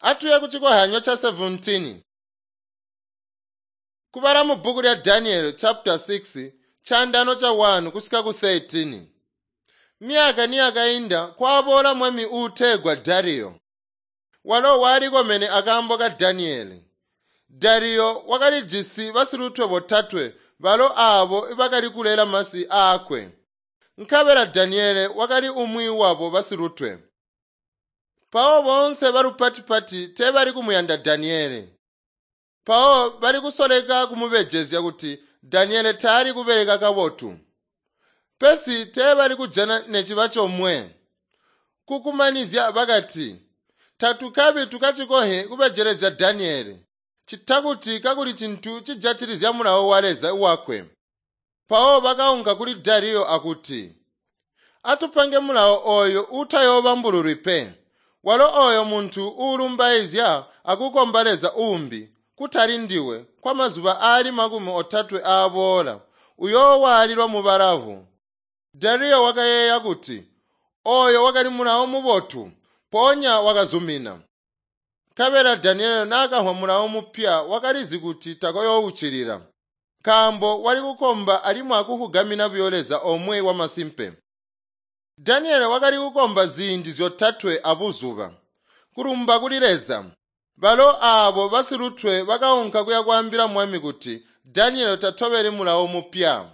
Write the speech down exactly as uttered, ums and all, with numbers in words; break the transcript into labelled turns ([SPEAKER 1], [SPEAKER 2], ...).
[SPEAKER 1] Atuye ku chikohanyo cha seventeen. Kubala mu bhuku lya Daniel chapter six chandano cha one kusika ku thirteen. Myaka niyakainda kwaboola mwami uutegwa Dariyo. Walo walikomene akaambo ka Daniele. Dariyo wakalijisi basilutwe botatwe balo aabo bakali kulela masi aakwe. Nkabela Daniele wakali umwi wabo basilutwe. Mpawo boonse balupati-pati teebali kumuyanda Daniele. Mpawo bali kusoleka kumubejezya kuti Daniele taali kubeleka kabotu. Pesi teebali kujana neciba comwe. Kukumanizya bakati, tatukabi tukacikohe kubejelezya Daniele, cita kuti kakuli cintu cijatilizya mulawo wa Leza wakwe. Mpawo bakaunka kuli Dariyo akuti, atupange mulawo ooyo uutayoobambululwi pe. Walo ooyo muntu uulumbaizya akukomba Leza uumbi, kutali ndiwe, kwamazuba aali makumi otatwe aaboola, uyoowaalilwa mubalavu. Dariyo wakayeeya kuti, ooyo wakali mulawo mubotu, mpoonya wakazumina. Nkabela Daniele naakamvwa mulawo mupya wakalizi kuti takoyoowuccilila, nkaambo wali kukomba alimwi akufugamina buyo Leza omwe wamasimpe. Daniele wakali kukomba ziindi zyotatwe abuzuba, kulumba kuli Leza. Balo aabo basilutwe bakaunka kuya kwaambila mwami kuti Daniele tatobeli mulawo mupya.